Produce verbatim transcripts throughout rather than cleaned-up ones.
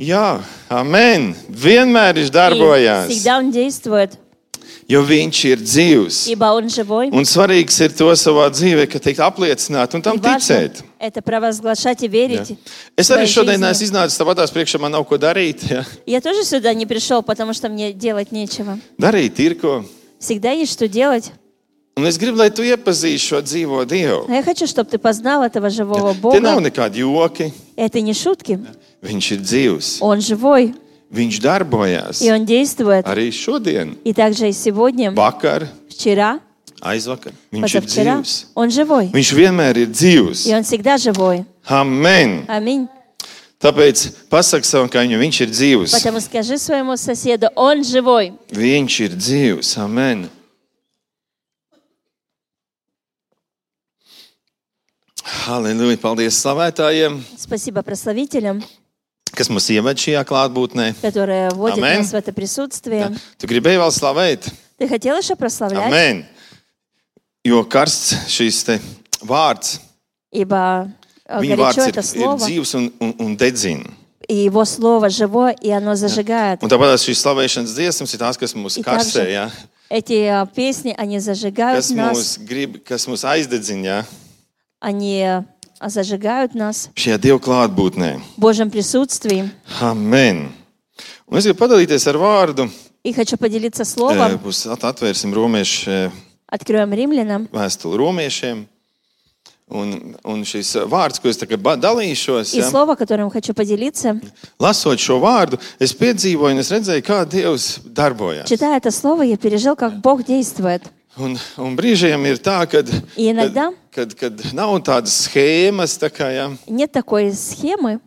Jā, amen. Vienmēr viņš darbojās. И всегда Он действует, Jo viņš ir dzīvs. ибо Он живой. Un svarīgs ir to savā dzīvē, ka teikt apliecināt un tam И важно ticēt. это провозглашать и верить. Es в arī своей šodien жизни. esmu iznācis tāpatās priekšā, man nav ko darīt. Ja? Я тоже сюда не пришел, потому что мне делать нечего. Darīt ir ko. Всегда есть что делать. Un es gribu, lai tu iepazīsti šo dzīvo Dievu. А я хочу, чтобы ты познал этого живого Tie nav Бога. nekādi joki. Это не шутки. Viņš ir dzīvs. Он живой, Viņš darbojās. и Он действует. Arī šodien, И также и сегодня, vakar, вчера, aizvakar. Viņš ir позавчера. dzīvs. Он живой. Viņš vienmēr ir dzīvs. И Он всегда живой. Amen. Аминь. Tāpēc pasaki savam kaimiņam, viņš ir dzīvs. Поэтому скажи своему соседу, он живой. Viņš ir dzīvs. Amen. Halleluja. Paldies slavētājiem, Спасибо прославителям, kas mūs ieved šajā klātbūtnē. которые вводят Аминь. нас в это присутствие. Tu gribēji vēl slavēt? Ты хотел еще прославлять? Amen. Jo karsts šīs te vārds, Ибо э, viņa горячо vārds ir, это ir слово, dzīvs un, un, un dedzina. и его слово живое, и оно зажигает. Un tāpēc šīs slavēšanas dziesmas ir tās, kas mūs И karsē, также ja? эти э, песни, они зажигают kas нас, mūs grib, kas mūs aizdedzina, ja? они э, зажигают нас Šajā Dieva klātbūtnē. в Божьем присутствии. Amen. Un es gribu padalīties ar vārdu. И хочу поделиться Eh, словом. Būs at- atvērsim romiešu eh, Откроем римлянам. vēstuli romiešiem. Un, un šis vārds, ko es tagad ba- dalīšos, И ja? слово, которым хочу поделиться, Lasot šo vārdu, es piedzīvoju un es redzēju, kā Dievs darbojas. читая это слово, я пережил, как Бог действует. Un, un brīžiem ir tā, kad, И иногда kad, kad, kad nav tādas schēmas, tā kā, ja? нет такой схемы,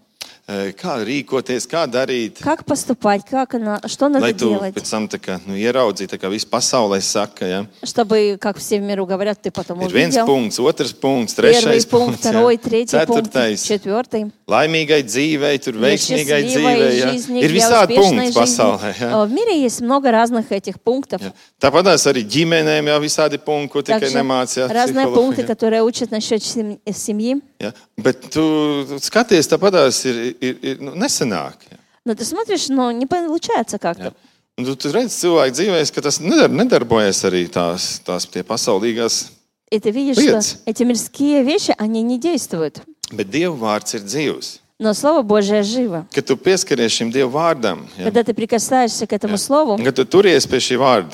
Eh, kā rīkoties, kā darīt. как поступать, как она, что надо Lai tu делать, pēc tam tā kā, nu, ieraudzītu, tā kā viss pasaulē saka, ja? чтобы, как все в миру говорят, ты потом Ir viens увидел. punkts, otrs punkts, Первый trešais пункт, punkts, второй, ja? третий пункт, ceturtais. четвертый. Laimīgai dzīvei, tur Для veiksmīgai dzīvei. счастливой Ja? жизни, Ir для visādi успешной punkti pasaulē. жизни. Ja? В мире есть много разных этих пунктов. Ja. Tāpatās arī ģimenēm jau visādi punkti, ko tikai Также nemācīja разные psihologi, пункты, ja? которые учат насчет сем- семьи. Ja. Bet tu skaties, tāpatās ir, ir, ir nu, nesenāk. Ja. Но ты смотришь, но не получается как-то. Ja. Un tu, tu redzi cilvēku dzīvēs, ka tas nedar, nedarbojas arī tās, tās tie pasaulīgās. И ты видишь, Liec. что эти мирские вещи, они не действуют. Bet Dieva vārds ir dzīvs. Но Слово Божие живо. Kad tu pieskaries šim Dieva vārdam, ja? Когда ты прикасаешься к этому Слову, Kad tu turies pie šī vārda,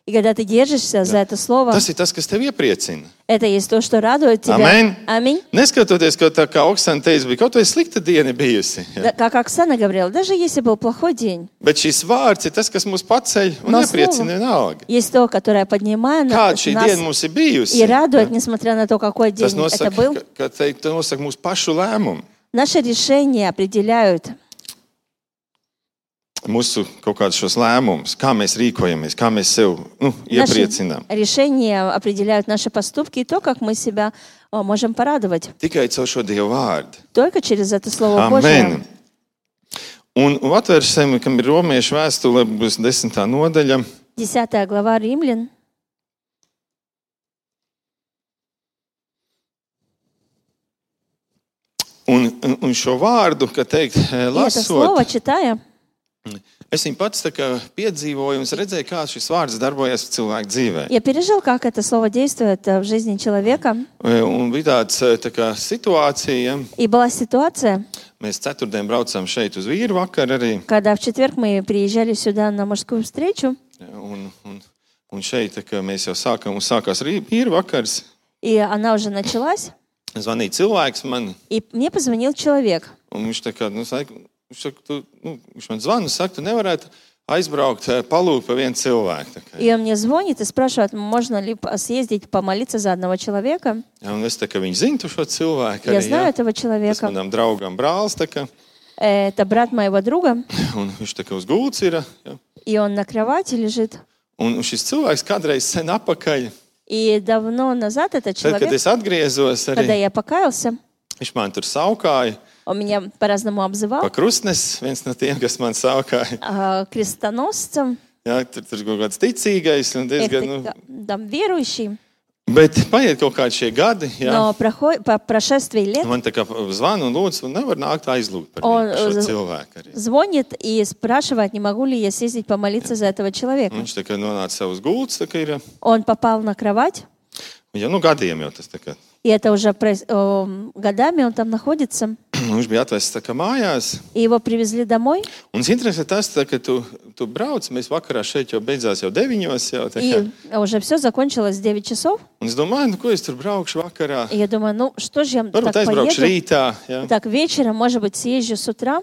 и когда ты держишься за это Слово, tas ir tas, kas tev iepriecina. это есть то, что радует тебя. Amen. Аминь. Neskatoties, ka tā kā Oksana teica, bija kaut vai slikta diena bijusi. Ja? Да, как Оксана говорила, даже если был плохой день, Bet šis vārds ir tas, kas mūs paceļ un No iepriecina vienalga. есть то, которое поднимает Kāda нас šī diena mums ir bijusi? и радует, несмотря на то, какой день Tas это nosaka, был. ka, ka te, te nosaka mūsu pašu lēmumu. Наши решения определяют, Mūsu kaut kādus šos lēmumus, kā mēs rīkojamies, kā mēs sev nu, наши iepriecinām. решения определяют наши поступки и то, как мы себя о, можем порадовать. Tikai caur šo Dieva vārdu. Только через это Слово Божие. Amen. Un, un atvērsim, kam ir romiešu vēstule, būs desmitā nodaļa. Десятая глава Римлян. Un, un, un šo vārdu, kā teikt, И это Слово, lasot, читая, es viņu pats tā kā piedzīvoju un es redzēju, kā šis vārds darbojas cilvēku dzīvē. я пережил, как это Слово действует э, в жизни человека. Un bija tāds tā kā situācija, И была ситуация, mēs ceturtdien braucām šeit uz vīru vakaru arī. когда в четверг мы приезжали сюда на мужскую встречу, Un, un, un šeit tā kā mēs jau sākam, un sākās arī vīru vakars. и она уже началась, Zvanīja cilvēks man, и мне позвонил человек. un viņš tā kā, nu, saka, viņš, saka, tu, nu, viņš man zvana, saka, tu nevarētu aizbraukt, palūgt pa vienu cilvēku. Tā kā. И он мне звонит и спрашивает, можно ли съездить помолиться за одного человека. Ja, un es tā kā viņu zinu tu šo cilvēku Я arī, знаю ja. этого Tas человека. manam draugam brālis, tā kā, Это брат моего друга, un viņš tā kā uz gults ir. Ja. и он на кровати лежит. Un šis cilvēks kādreiz sen apakaļ, И давно назад этот tad, kad человек, es atgriezos когда arī, я покаялся, viņš man tur saukāja он меня по-разному pa обзывал, krustnes, viens no tiem, kas man saukāja. а, крестоносцем, Ja, tur tur kaut kāds ticīgais un diezgan, nu, это, там, верующий. Bet paiet kaut kādi šie gadi, jā. Но проход- по прошествии лет Man tā kā zvana un lūdzu, un nevar nākt aizlūgt par Он, viņu, šo э, cilvēku arī. звонит и спрашивает, не могу ли я съездить помолиться за этого человека. Viņš tā kā nonāca savus gultus, tā kā ir, Он попал на кровать, ja, nu gadiem jau tas tā kā. и это уже проис- о, годами он там находится. Viņš bija atvests tā kā mājās. И его привезли домой. Un interesē tas, tā, ka tu, tu brauc, mēs vakarā šeit jau beidzās jau deviņos. Jau, tā kā. И уже все закончилось в девять часов. Un es domāju, nu ko es tur braukšu vakarā. И я думаю, ну что же я Varbūt так aizbraukšu поеду? rītā. Ja. Так вечером, может быть, съезжу с утра.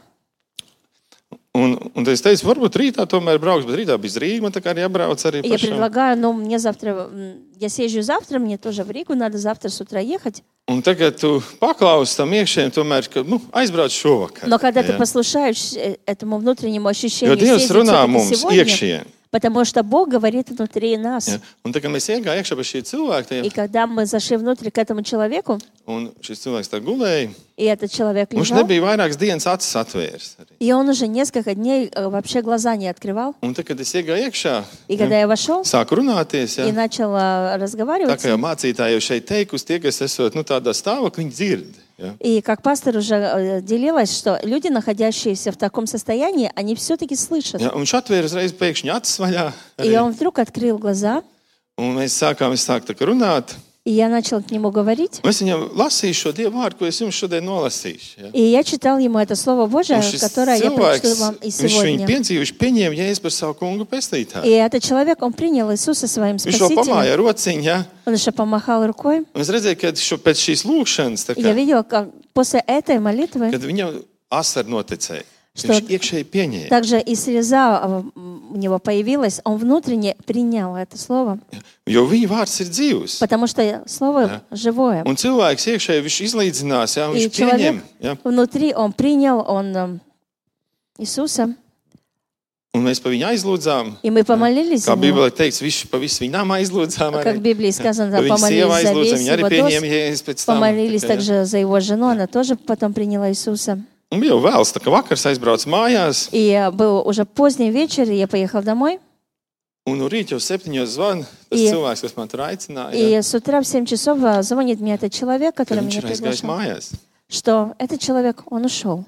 Un, un tad es teicu, varbūt rītā tomēr braukšu, bet rītā bija Rīga, man tā kā arī jābrauc arī И я pašam. предлагаю, ну мне завтра, м, я съезжу завтра, мне тоже в Ригу, надо завтра с утра ехать. Un tagad tu paklausi tam iekšējiem, tomēr, ka nu, aizbrauc šovakar. Но когда ты ja. послушаешь э, этому внутреннему Jo ощущению, Dievs съездить runā всё-таки mums сегодня, iekšējiem. потому что Бог говорит внутри нас. Ja. Un tā kā mēs iegājām iekšā pa šī cilvēka, И когда мы зашли внутрь к этому человеку, un šis cilvēks tā gulēja, и этот человек viņš лежал, nebija vairākas dienas acis atvērs. Arī. и он уже несколько дней э, вообще глаза не открывал. Un tā, kad es iegāju iekšā, И когда я вошел sāku runāties, и ja. начал э, Tā разговаривать, kā jau mācītāji jau šeit teikusi, tie, kas esot nu, tādā stāvoklī, viņi dzird. Ja. и как пастор уже э, делилась, что люди, находящиеся в таком состоянии, они все-таки слышат. Ja, un viņš atvēra uzreiz pēkšņi acis vaļā. И Arī. он вдруг открыл глаза, Un mēs sākām, es sāku tā kā runāt. и я начал к нему говорить. Un es viņam lasīju šo Dievu vārdu, ko es jums šodien nolasīšu. Ja. И я читал ему это Слово Божие, Un šis которое я прочту cilvēks, вам и viņš viņu сегодня. piedzīvo, viņš pieņēma Jēzu par savu kungu pestītāju. И этот человек, он принял Иисуса своим Viņš vēl Спасителем. pamāja rociņu, ja. Он еще помахал рукой. Un es redzēju, ka šo, pēc šīs lūkšanas, tā И я kā, видела, как после этой молитвы kad viņam asar noticēja, Что- viņš iekšēji pieņēma. также и слеза а, м, у него появилась. Он внутренне принял это Слово, Jo viņa vārds ir dzīvs. потому что Слово живое. Un cilvēks iekšēji viņš izlīdzinās, ja, un И viņš человек pieņem. Ja. внутри, он принял он м, Иисуса, Un mēs pa viņu aizlūdzām. и мы помолились за Kā него. Bībelē teikts, viņš pa visu viņām aizlūdzām. Как в Arī. Библии сказано, Pa там, viņa sieva помолились за aizlūdza, весь viņa arī его pieņēma дом, Jēzus pēc tam. помолились Tā kā, ja. также за его жену, она тоже потом приняла Иисуса. Un bija jau vēls, tā kā vakars aizbrauc mājās, И э, был уже поздний вечер, и я поехал домой. un no rīta jau septiņos zvan tas И- cilvēks, kas man tur aicināja. И Ja, с утра в семь часов а, звонит мне этот человек, ka который viņš меня ir aizgājis приглашал, mājās. что этот человек, он ушел.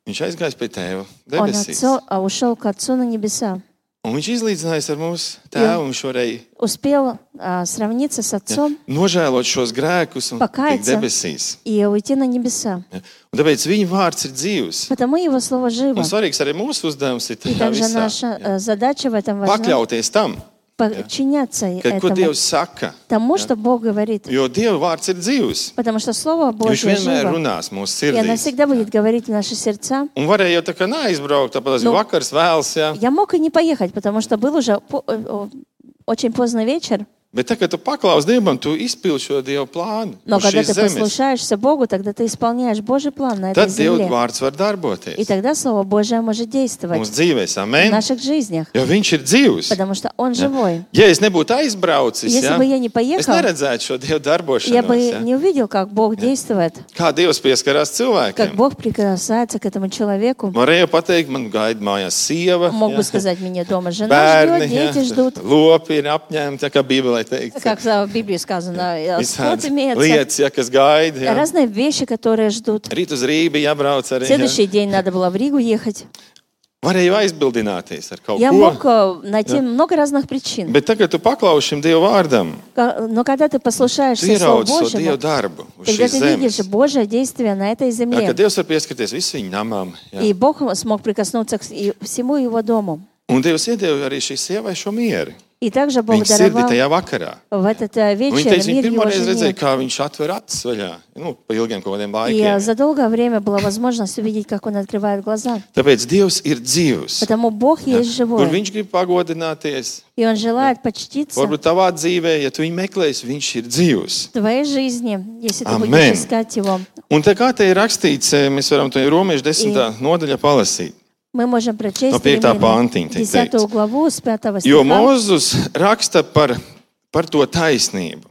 Viņš aizgājis pie tēva Он debesīs. отцу, а, ушел к Отцу на небеса. Un viņš izlīdzinājās ar mūsu tēvu, un viņš varēja Успел а, сравниться с ja, Отцом nožēlot šos grēkus un tikt Покаяться. debesīs. и уйти на небеса. Ja. Un tāpēc viņa vārds ir dzīvs. Потому Его Слово живо. Un svarīgs arī mūsu uzdevums ir И tajā также visā. наша э, задача в этом важна. Pakļauties tam, Подчиняться ka, ko этому, Dievs saka. тому, что Бог говорит. Jo Dieva vārds ir dzīvs. Потому что Слово Viņš Божье vienmēr живо. runās mūsu И оно sirdīs. всегда будет говорить в наши сердца. Un varēja jau tā kā neaizbraukt, tāpēc Nu, bija vakars vēls, ja. Я мог и не поехать, потому что был уже по- э, о, очень поздно вечер. Bet tā, kad tu paklaus Dievam, tu izpildi šo Dieva plānu Но uz когда šīs ты zemes. послушаешься Богу, тогда ты исполняешь Божий план на этой Tad Dieva земле. vārds var И darboties тогда Слово Божие может действовать mūsu dzīvēs. в Amen. наших жизнях, Jo viņš ir dzīvs. потому что Он живой. Ja es nebūtu aizbraucis, Если ja, бы я не es поехал, neredzētu šo Dieva я darbošanos. бы Ja. не увидел, как Бог действует, Kā Dievs pieskarās как cilvēkiem. Бог прикасается к этому человеку. Varēja pateikt, man gaida mājās sieva, Мог ja, бы сказать, меня дома жена bērni, ждет, ja, дети ждут. lopi ir apņēmti, tā kā Bībelē teikts. Как в Библии сказано, скот Visādas имеется. lietas, ja, kas gaida. Ja. Разные вещи, которые ждут. Rīt uz Rīgu jābrauc arī. Ja. Следующий день надо было в Ригу ехать. Varēja aizbildināties ar kaut Я ko. мог э, найти много разных причин. Bet tagad tu paklausi šim Dieva vārdam, Ка- Но когда ты tu послушаешься Слову ieraudzi to Божьему, Dieva darbu uz тогда šīs ты видишь zemes. Божье действие на этой Ja, земле. ka Dievs var pieskarties visu viņu namām. Ja. И Бог смог прикоснуться к с- и всему его дому. Un Dievs iedeva arī šai sievai šo mieru. И также Бог Viņa sirdi даровал tajā vakarā. в этот э, Un Viņa вечер teica, viņa мир его pirmoreiz redzēja, жене. kā viņš atver acis vaļā. Nu, pa ilgiem kaut kādiem И э, laikiem. за долгое время была возможность увидеть, как он открывает глаза. Tāpēc Dievs ir dzīvs. Потому Бог есть Kur живой. viņš grib pagodināties. И Он желает почтиться Varbūt tavā dzīvē, ja tu viņu meklēsi, viņš ir dzīvs. в твоей жизни, если ты Amen. будешь искать Его. Un tā kā te ir rakstīts, mēs varam to Romiešu desmitā nodaļa palasīt. Мы можем прочесть No piektā pantiņa tiek десятую teikts. главу с пятого Jo стиха. Mozus raksta par, par to taisnību,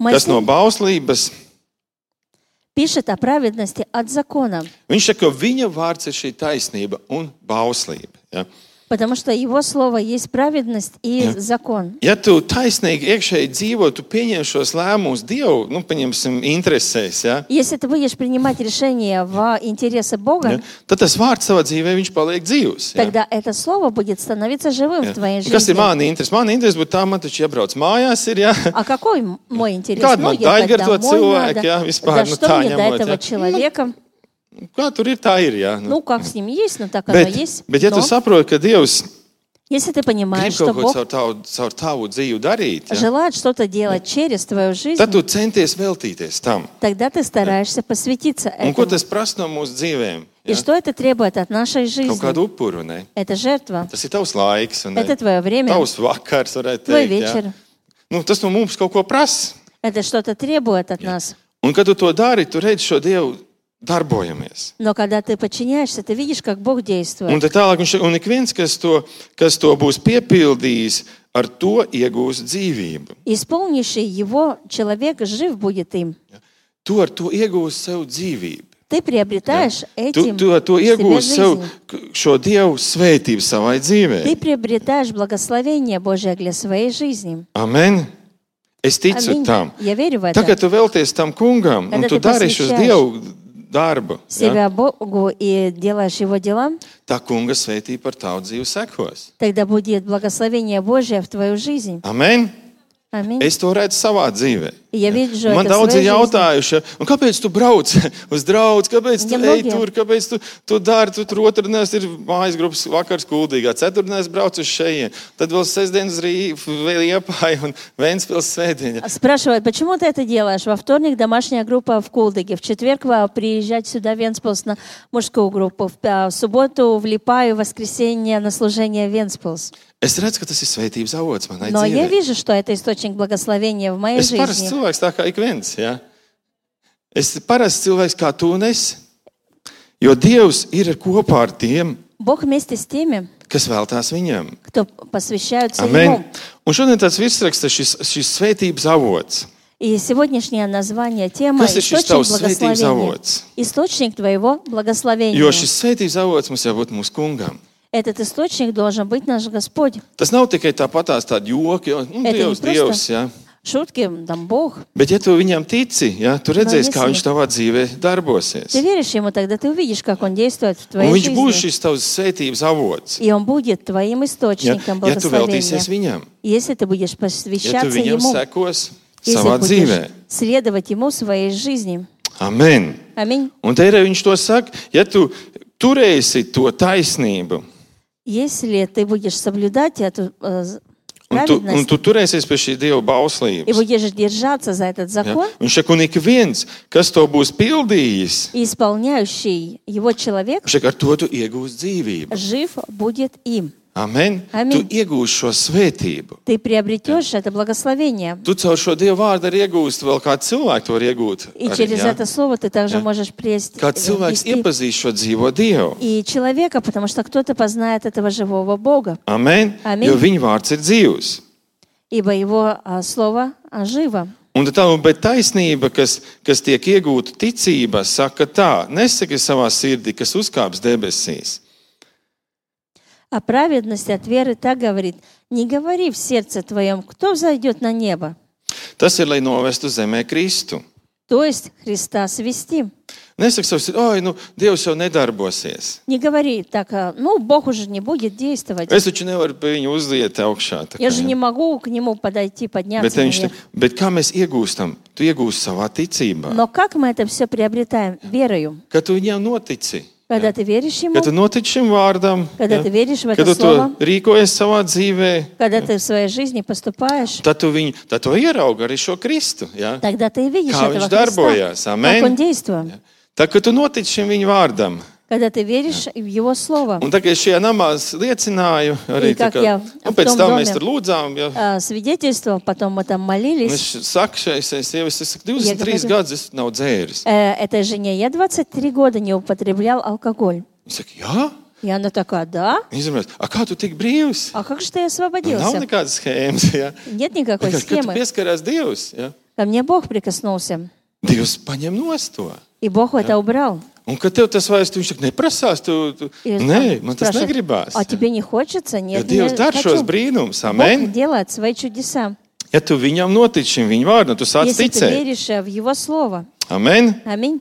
kas no Моисей bauslības. пишет о праведности от закона. Viņš saka, ka viņa vārds ir šī taisnība un bauslība. Ja? Потому что Его Слово есть праведность и Jā. закон. Ja tu taisnīgi iekšēji dzīvo, tu pieņem šos lēmumus Dievu, nu, paņemsim, interesēs, ja? Если ты будешь принимать решения в интересы Бога, Ja? Tad tas vārds savā dzīvē, viņš paliek dzīvs. Ja? тогда это Слово будет становиться живым Ja? в твоей Un kas ir жизни. mani interesi? Mani interesi būtu tā, man taču iebrauc mājās ir, ja? А какой м- мой интерес? Kāda Ну, man ехать daiga ar to домой cilvēku, надо. jā, vispār, Да nu, что tā мне до ņemot, этого jā? человека? Kā tur ir, tā ir, ja? Nu, Ну, как с ним есть, ну так оно bet, есть. bet ja tu Но saproti, ka Dievs если ты grib понимаешь, что kaut ko Бог caur tavu, caur tavu dzīvi darīt, ja? желает что-то делать через твою жизнь, Tad tu centies veltīties tam. тогда ты стараешься посвятиться Un ko этому. tas prasa no mūsu dzīvēm? И Ja? что это требует от нашей Kaut жизни? kādu upuru, ne? Это жертва, Tas ir tavs laiks, un это твое время, tavs vakars, varētu твой teikt. Ja? вечер. Nu, tas no mums kaut ko prasa. Это что-то требует от нас. Un, kad tu to dari, tu redzi šo Dievu darbojamies. Но когда ты подчиняешься, ты видишь, как Бог Un действует. tad tālāk, viņš- un ik viens, kas to, kas to būs piepildījis, ar to iegūs dzīvību. Исполнивший его человек жив будет им. Tu ar to iegūsi sev dzīvību. Ты приобретаешь Tu, этим tu ar to себе iegūsi sev жизнь. k- šo Dievu svētību savai dzīvē. Ты приобретаешь благословение Божие для своей жизни. Amen. Es ticu Аминь. tam. Я верю в Tagad это. tu velties tam kungam, un Когда tu ты dari šo посвящаешь Dievu darbu. Ja? себя Богу и делаешь Его дела, Tā kunga svētība par tavu dzīvi sekos. тогда будет благословение Божие в твою жизнь. Amen. Аминь. Es to redzu savā dzīvē. И я вижу Man это в daudz ir своей жизни. jautājuši, un kāpēc tu brauc uz draugu, kāpēc tu ej Nemnogie. tur, kāpēc tu, tu dari, tu tur otrdienās ir mājas grupas vakars Kuldīgā, ceturtdienās brauc uz šejien, tad vēl sestdienas Rī- vēl Liepāja un Ventspils svētdiena. Спрашивают, почему ты это делаешь? Во вторник домашняя группа в Кулдыге, в четверг а, приезжать сюда в Венспилс на мужскую группу, в, а, в субботу в Липаю, в воскресенье на служение в Венспилс. Es redzu, ka tas ir svētības avots manai Но я dzīvē. вижу, что это источник благословения в моей Es parasts жизни. cilvēks tā kā ik viens, ja? Es parasts cilvēks kā tu un es, jo Dievs ir kopā ar tiem, Бог вместе с теми, kas veltās viņam. кто посвящаются Amen. Ему. Un šodien tāds virsraksts ir šis, šis svētības avots. И сегодняшнее название, тема Kas ir šis «Источник tavs svētības благословения». avots? Источник твоего благословения. Jo šis svētības avots mums jābūt mūsu kungam. Этот источник должен быть наш Господь. Tas nav tikai tāpatās tādi joki, jo nu, Это не Dievs, просто Dievs, ja? Шутки, там Бог. Bet ja tu viņam tici, ja, tu redzēsi, kā если- viņš tavā dzīvē darbosies. Ты веришь Ему, тогда ты увидишь, как Он действует в Un твоей viņš būs жизни. šis tavs svētības avots. И Он будет твоим Ja, источником ja tu veltīsies благословения. viņam, Если ты будешь ja tu посвящаться viņam Ему, sekos если savā будешь dzīvē. следовать Ему в своей жизни. Amen. Аминь. Un te arī viņš to saka, ja tu turēsi to taisnību, Если ты будешь соблюдать эту э, un tu, un праведность tu turēsies pie šī Dieva и bauslības, будешь держаться за этот ja, закон, viņš saka, un ik viens, kas to būs pildījis, и исполняющий его человек viņš saka, ar to tu iegūsi dzīvību. жив будет им. Amen. Amen. Tu iegūsi šo svētību. Ты приобретешь это благословение. Tu caur šo Dieva vārdu arī iegūsti vēl kādu cilvēku to var iegūt. И Arī, через ja? это слово ты также Ja. можешь приести Kāds cilvēks вести iepazīst šo dzīvo Dievu. и человека, потому что кто-то познает этого живого Бога, Amen. Amen. Jo viņa vārds ir dzīvs. ибо его а, слово а, живо. Un tā, bet taisnība, kas, kas tiek iegūta ticībā, saka tā, nesaki savā sirdī, kas uzkāps debesīs. А праведность от веры так говорит: не говори в сердце твоем, кто взойдет на небо, Tas ir, lai novestu zemē Kristu. то есть Христа свести. Nesaki savā sirdī, oi, nu, Dievs jau nedarbosies. Не говори так, а, ну, Бог уже не будет действовать. Es taču nevaru pie viņa uzliet augšā. tā Я kā, же ja. не могу к нему подойти, Bet, подняться viņš, наверх. bet kā mēs iegūstam? Tu iegūsi savā ticībā. Но как мы это все приобретаем? Верою. Kad tu viņam notici. Когда ты веришь Ему, Kad tu notici šim vārdam, когда ja, ты веришь в kad это tu to слово, rīkojies savā dzīvē, когда ты в своей жизни поступаешь, tad tu, viņu, tad tu ieraugi arī šo Kristu. Ja? тогда ты видишь Kā этого viņš darbojās. Христа, Amen. как Он действует. Tā, kad tu notici šim viņa vārdam. Когда ты веришь в Его Слово. Un tā kā es šajā namā liecināju, arī И tā как kā, я nu, в pēc том tam доме, mēs tur lūdzām. Ja, а, свидетельство, потом мы там un молились. es saku šai sievai, es saku, divdesmit trīs говорю- gadus es nav dzēris. Э, Этой жене я двадцать три года не употреблял алкоголь. Viņa saka, jā? И она такая: да? Izrunājot, a kā tu tik brīvs? А как же ты Nav освободился? nekādas schēmas. Ja? Нет никакой Kad tu схемы. pieskarās Dievs, ja? Ко мне Бог прикоснулся, Dievs paņem nost to. и Бог это убрал. Un kad tev tas vairs, tu viņš saka, neprasās, tu, tu... И Nē, он man tas спрашивает, negribās. а тебе не хочется? Jo Нет, Dievs не dara šos хочу. brīnumus, Бог amen. делает свои чудеса. Ja tu viņam notic šim viņa vārdam, tu sāc Если ты ticēt. веришь э, в Его Слово. Amen. Аминь.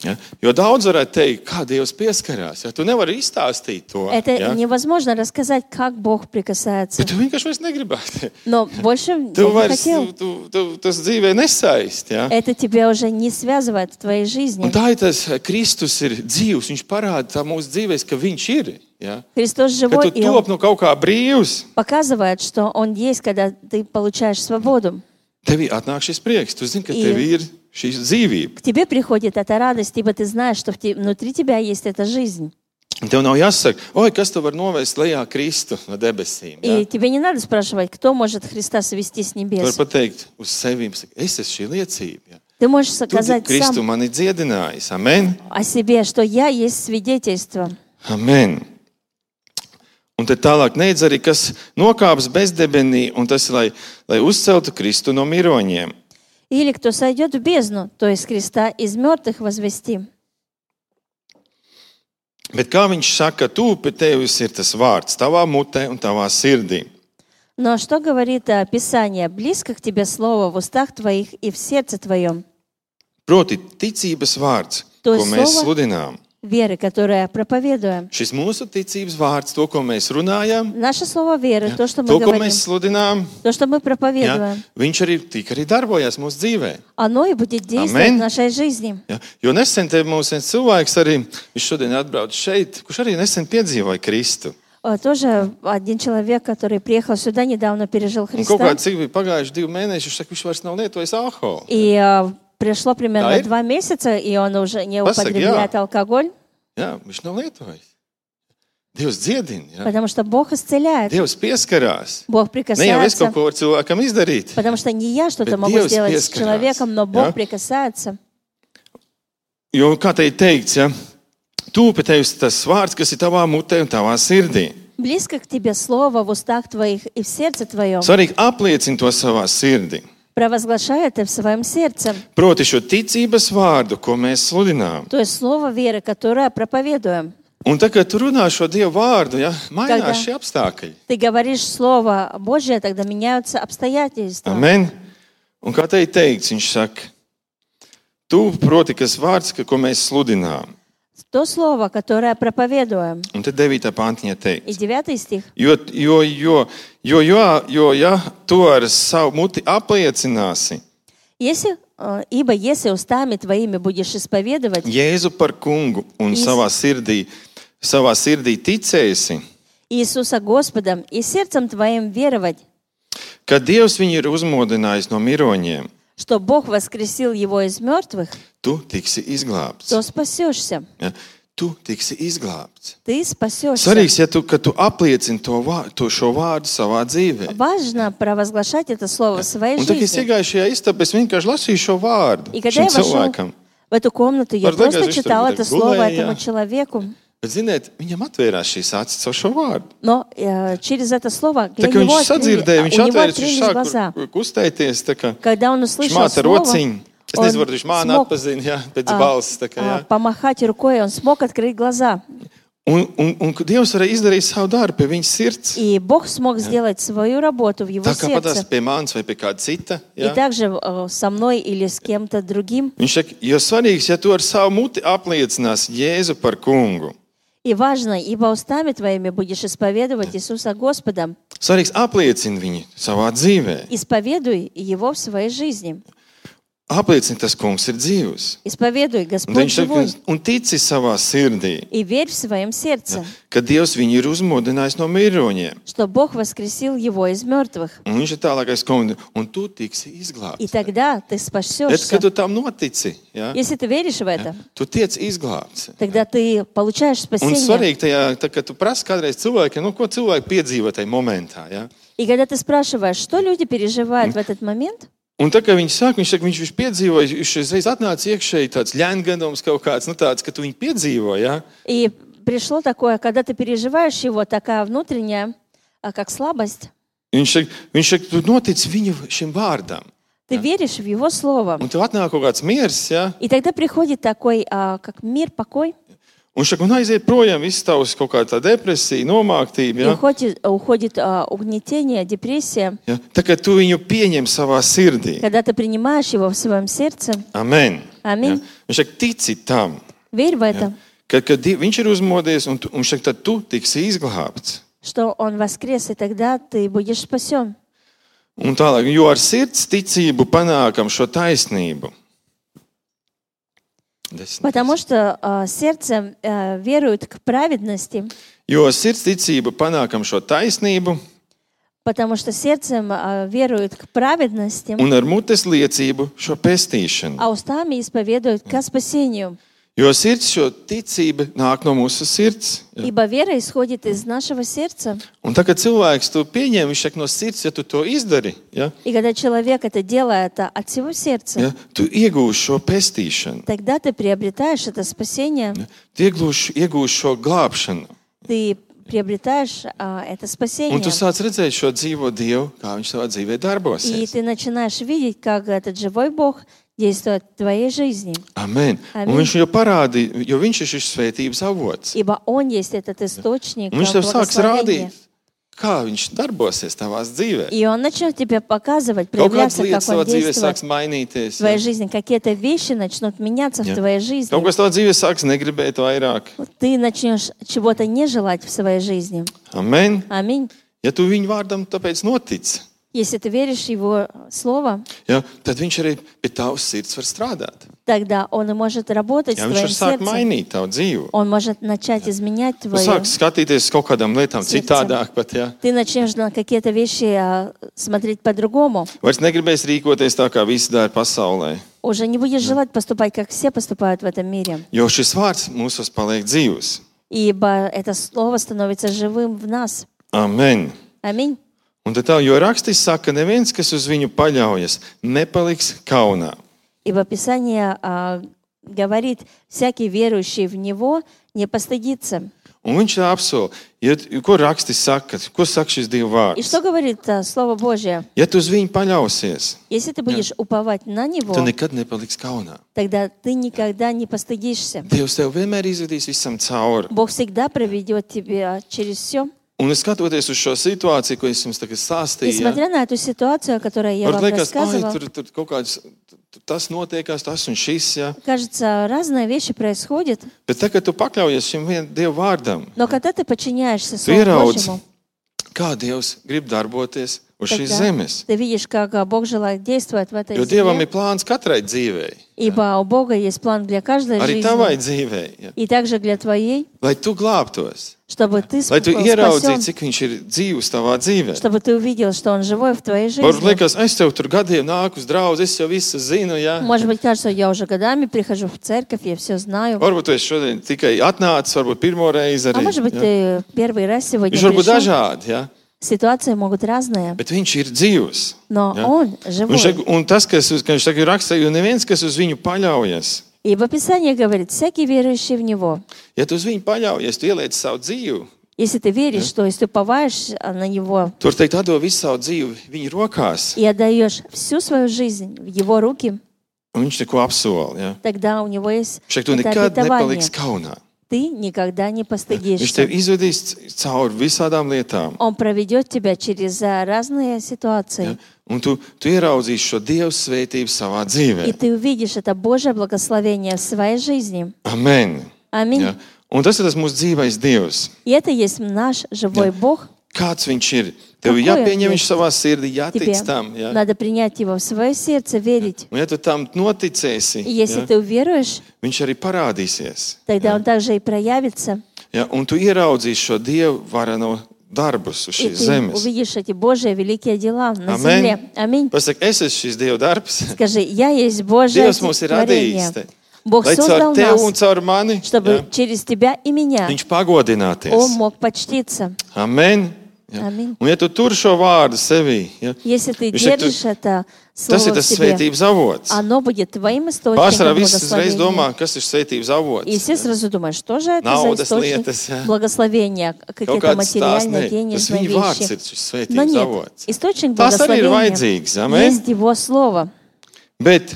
Ja? Jo daudz varētu teikt, kā Dievs pieskarās. Ja? Tu nevari izstāstīt to. Это Ja? невозможно рассказать, как Бог прикасается. Bet tu vienkārši vairs negribētu. Но больше Tu Бог не vairs, хотел. tu, tu, tas dzīvē nesaist. Ja? Это тебя уже не связывает в твоей жизни. Un tā ir tas, Kristus ir dzīvs. Viņš parāda tā mūsu dzīvēs, ka viņš ir. Ja? Христос Ka живой, tu и top Он no kaut kā brīvs. показывает, что Он есть, когда ты получаешь свободу. Tevī atnāk šis prieks. Tu zini, ka I- tev ir šī dzīvība. К тебе приходит эта радость, ибо ты знаешь, что в те- внутри тебя есть эта жизнь. Un tev nav jāsaka, oi, kas tev var novest lejā Kristu no debesīm. Ja? И тебе не надо спрашивать, кто может Христа свести с Tu vari небес. pateikt uz sevi, es esmu šī liecība. Ja? Ты можешь Tu, сказать Kristu, сам mani dziedinājis. Amen. о себе, что я есть свидетельство. Amen. Un tad tālāk neidz arī, kas nokāps bezdebenī, un tas, lai, lai uzceltu Kristu no miroņiem. Или кто сойдет в бездну, то есть Христа из мертвых возвести. Bet kā viņš saka, tu pie tevis ir tas vārds tavā mutē un tavā sirdī. Но что говорит э, Писание? Близко к тебе слово в устах твоих и в сердце твоем. Proti, ticības vārds, To ko mēs slovo- sludinām. Веры, которое проповедуем. Šis mūsu ticības vārds, to, ko mēs runājam, Наше слово веры, то, что мы to, ko говорим, mēs sludinām, то, что мы ja, проповедуем, viņš arī tik arī darbojas mūsu dzīvē. оно и будет действовать Amen. в нашей жизни. Ja? Jo nesen te mums viens cilvēks arī, viņš šodien atbrauc šeit, kurš arī nesen piedzīvoja Kristu. Э, Тоже один человек, который приехал сюда, недавно пережил Un kaut Христа. kā cik bija pagājuši divi mēneši, viņš saka, viņš vairs nav lietojis alkoholu. И э, пришло примерно Да, и- два месяца, и он уже не Pasaka, употребляет алкоголь, Jā, viņš nav lietojis. Dievs dziedina. Ja? потому что Бог исцеляет. Dievs pieskarās. Бог Ne jau es kaut прикасается. ko varu cilvēkam izdarīt. Потому что не я что-то Bet могу Dievs сделать с pieskarās, человеком, но Бог ja? прикасается. Jo, kā te ir teikts, ja? Tu pie tevis tas vārds, kas ir tavā mutē un tavā sirdī. Близко к тебе слово в устах твоих и в сердце твоем. Svarīgi apliecini to savā sirdī. Провозглашай это в своем сердце. Proti šo ticības vārdu, ko mēs sludinām. То есть слово веры, которое проповедуем. Un tā, kad tu runā šo Dievu vārdu, ja, mainās Когда- šie apstākļi. Ты говоришь слово Божье, тогда меняются обстоятельства. Amen. Un kā te ir teikts, viņš saka, tu, proti, kas vārds, ka- ko mēs sludinām. То слово, которое проповедуем. Un te devītā pantiņā И teikts. девятый стих. Jo, jo, jo, jo, jo, jo, ja tu ar savu muti apliecināsi Если, э, ибо если устами твоими будешь исповедовать Jēzu par kungu un Iz- savā sirdī, savā sirdī ticēsi, Иисуса Господом и сердцем твоим веровать, ka Dievs viņu ir uzmodinājis no miroņiem, что Бог воскресил его из мертвых, tu tiksi izglābts. то спасешься. Ja? Tu tiksi izglābts. Ты спасешься. Svarīgs, ja tu, ka tu apliecini to, vā- to šo vārdu savā dzīvē. Важно провозглашать это слово в своей Un tad, kad es жизни. iegāju šajā istabā, es vienkārši lasīju šo vārdu И когда šim я вошел cilvēkam. в эту комнату, я Var liekas, просто viņš tur читала tā это слово gulēja, этому jā. человеku. Bet, ziniet, viņam atvērās šīs acis caur šo vārdu. Но э, через это слово Tā для kā него viņš sadzirdēja, открыли- viņš у него atvērās, viņš открылись sāk глаза. kur- kur kustēties. tā kā Когда он услышал Šmāta слово, rociņu. Es он nezinu, varbūt viņš māna смог, atpazina, jā, pēc а, balss. tā kā, а, jā. помахать рукой, он смог открыть глаза. Un, un, un Dievs varēja izdarīt savu darbu pie viņa sirds. И Бог смог сделать свою работу в его Tā kā patās сердце. pie manis vai pie kāda cita. И Jā. также э, со мной или с кем-то другим. Viņš saka, jo svarīgs, ja tu ar savu muti apliecinās Jēzu par kungu. И важно, ибо устами твоими будешь исповедовать Иисуса Господа. Svarīgs apliecini viņu savā dzīvē. Исповедуй его в своей жизни. Apliecini, tas kungs ir dzīvs. Исповедуй, Un, Господь viņš saka, живой. un tici savā sirdī, И верь в своем сердце, ka Dievs viņu ir uzmodinājis no miroņiem. что Бог воскресил его из мертвых. Un viņš ir tālākais komentārs, un tu tiksi И izglābts. тогда ты Bet, спасешься. kad tu tam notici, ja, Если ты веришь в это, tu tiec izglābts. тогда ты получаешь Un спасение. svarīgi tajā, tā, kad tu prasi kādreiz cilvēkiem, nu, ko cilvēki piedzīvo tajā momentā. Ja? И когда ты спрашиваешь, что люди переживают в этот момент, Un tā kā viņi saka, viņš saka, viņš, viņš piedzīvoja, viņš reiz atnāca iekšēji tāds ļēngadums kaut kāds, nu tāds, ka tu viņu piedzīvo, ja? и пришло такое, когда ты переживаешь его, такая внутренняя, а, как слабость, Viņš saka, viņš saka, tu notic viņu šim vārdam. Ты веришь в Его Слово. Un tev atnāk kaut kāds miers, ja? И тогда приходит такой, а, как мир, покой. Un šak, un aiziet projām viss tavs kaut kāda tā depresija, nomāktība, И ja? уходит, уходит а, угнетение, депрессия. Ja? Tā kā tu viņu pieņem savā sirdī. Когда ты принимаешь его в своем сердце, Amen. Аминь. Ja? Un šak, tici tam, верь в это, kad, kad Diev- viņš ir uzmodies, un, tu- un šak, tad tu tiksi izglābts. что Он воскрес, и тогда ты будешь спасен. Un tālāk, jo ar sirds ticību panākam šo taisnību. Desmit. Потому что а, сердце а, верует к праведности, Jo ar sirds ticību panākam šo taisnību, потому что сердцем а, верует к праведности, un ar mutes liecību šo pestīšanu. а устами исповедуют ко спасению. Jo sirds šo ticību nāk no mūsu sirds. Ja? Ибо вера исходит из нашего сердца. Un tā, kad cilvēks to pieņem, viņš saka no sirds, ja tu to izdari, ja? И когда человек это делает а, от всего сердца, Ja? Tu iegūsi šo pestīšanu, тогда ты приобретаешь это спасение, ja? Tu iegūsi, iegūsi šo glābšanu. ты приобретаешь а, это Un спасение. tu sāc redzēt šo dzīvo Dievu, kā viņš savā dzīvē И darbosies. ты начинаешь видеть, как этот живой Бог действует в твоей жизни. Amen. Un Amen. viņš jau parādīja, jo viņš ir šis svētības avots. Ибо Он есть этот источник Un viņš tev sāks благословения. rādīt, kā viņš darbosies tavās dzīvē. И Он начнет тебе показывать, Kaut kādas проявляться, lietas как savā Он dzīvē действует sāks mainīties. в твоей Ja? жизни. Какие-то вещи начнут меняться в Ja? твоей жизни. Kaut kas tavā dzīvē sāks negribēt vairāk. Ты начнешь чего-то не желать в своей жизни. Amen. Аминь. Ja tu viņu vārdam tāpēc notic, Если ты веришь в Его Слово, ja, tad viņš arī pie tavas sirds var strādāt. тогда Он и может работать Ja, с viņš твоим var sākt сердцем. mainīt tavu dzīvi. Он может начать изменять Tu твое. sāc skatīties uz kaut kādām lietām Sirds. citādāk pat, ja. Ты начнешь на какие-то вещи а, смотреть по-другому. Vairs negribēs rīkoties tā, kā visi dara pasaulē. Уже не будешь желать поступать, как все поступают в этом мире. Jo šis vārds mūsos paliek dzīvs. Ибо это Слово становится живым в нас. Amen. Аминь. Un tad tā, jo rakstis saka, neviens, kas uz viņu paļaujas, nepaliks kaunā. Ибо Писание а, говорит, всякий верующий в Него не постыдится. Un viņš tā apsola, ja, ko rakstis saka, ko saka šis Dieva И vārds. что говорит а, Слово Божье? Ja tu uz viņu paļausies, Если ты будешь уповать на tu Него, nekad nepaliksi kaunā. тогда ты никогда не постыдишься. Dievs tev vienmēr izvedīs visam cauri. Бог всегда проведет тебя через все. Un es skatoties uz šo situāciju, ko es jums tagad И stāstīju, ja, смотря на эту ситуацию, о которой я var вам liekas, ai, рассказывала, tur, tur kaut kāds, tur tas notiekās, tas un šis, ja. кажется, разные вещи происходят. Bet tagad tu pakļaujies šim vien Dieva vārdam. Но когда ты подчиняешься Tu Слову ieraudz, Божьему, kā Dievs grib darboties uz šīs тогда zemes. ты видишь, как а, Бог желает действовать в этой Jo Dievam земле. ir plāns katrai dzīvei. Ибо у Бога есть план для каждой Arī tavai жизни. dzīvei. Ja. И также для твоей, Lai tu glābtos. чтобы ты Lai tu ieraudzītu, спасен, cik viņš ir dzīvs tavā dzīvē. чтобы ты увидел, что Он живой в твоей Varbūt жизни. liekas, es tev tur gadiem nāku uz draugu, es jau visu zinu, ja. Может быть, кажется, я уже годами прихожу в церковь, я все знаю. Varbūt tu esi šodien tikai atnācis, varbūt pirmo reizi А arī. может быть, Ja. ты первый раз сегодня Viņš var būt пришел. dažādi, ja. Ситуации могут разные, Bet viņš ir dzīvs. но Ja. Он Un, живой. šeit, un tas, kas, uz- ka viņš tagad raksta, jo neviens, kas uz viņu paļaujas, Ибо Писание говорит, всякий верующий в Него. ja tu uz viņu paļaujies, tu ieliec savu dzīvi, Если ты веришь, что если ты уповаешь на Него tur teikt, atdod visu savu dzīvi viņa rokās, и отдаешь всю свою жизнь в Его руки, un viņš neko apsola. Ja. тогда у Него есть Šeit tu это nekad обетование. nepaliksi kaunā. Ты никогда не Viņš постыдишься. tev izvedīs cauri visādām lietām. Он проведет тебя через а, разные Ja. ситуации. Un tu, tu ieraudzīsi šo Dieva svētību savā И dzīvē. ты увидишь это Божье благословение в своей жизни. Amen. Аминь. Ja. Un tas ir tas mūsu dzīvais Dievs. И это есть наш живой Бог. Kāds viņš ir? Tev Какой ir он jāpieņem viņš есть? savā sirdī, Тебе jātic tam. Ja. надо принять его в свое сердце, верить. Un ja tu tam noticēsi, И если ja, ты уверуешь, viņš arī parādīsies. тогда он также и проявится. Ja. Un tu ieraudzīsi šo Dievu varano darbus uz И šīs ты zemes. увидишь эти Божьи великие дела на Amen. земле. Аминь. Pasaka, es esmu šis Dieva darbs. Скажи, я есть Божье Dievs mums ir radījis. творение. te. Бог Lai создал caur tevi un нас, caur mani чтобы ja, через тебя и меня viņš pagodināties. Он мог почтиться. Amen. Ja? Amen. Un ja tu tur šo vārdu sevī, ja? Если ты Viņš saka, tu- держишь это tas ir слово в tas себе, svētības avots. оно будет твоим Pārsvarā источником viss uzreiz благословения. domā, kas ir svētības avots. И все сразу думают, что же это за Naudas источник lietas, ja. благословения, Kaut какие-то kāds stāsts, материальные, ne, tas денежные viņa vārds вещи. ir šis Но svētības нет, avots. источник Tas arī ir благословения vajadzīgs, amen? есть Его Слово. Bet,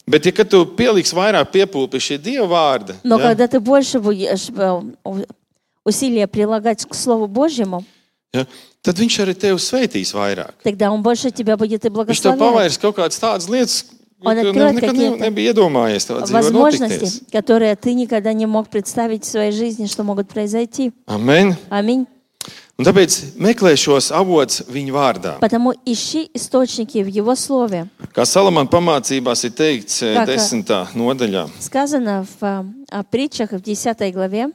bet ja kad tu pieliks vairāk piepūli pie šī Dieva vārda, Но ja, когда ты больше будешь э, у- усилия прилагать к Слову Божьему, ja, tad viņš arī tevi svētīs vairāk. тогда Он больше тебя будет и Viņš tev благословлять. pavairs kaut kādas tādas lietas, Un ko tu откроет nekad ne, какие-то nebija iedomājies tavā dzīvē Возможности, notikties. которые ты никогда не мог представить в своей жизни, что могут произойти. Amen. Аминь. Un tāpēc meklē šos avots viņa vārdā. Потому ищи источники в Его Слове. Kā Salamana pamācībās ir teikts eh, Kā, ka- desmitā nodaļā. Сказано в а, а, притчах в десятой главе.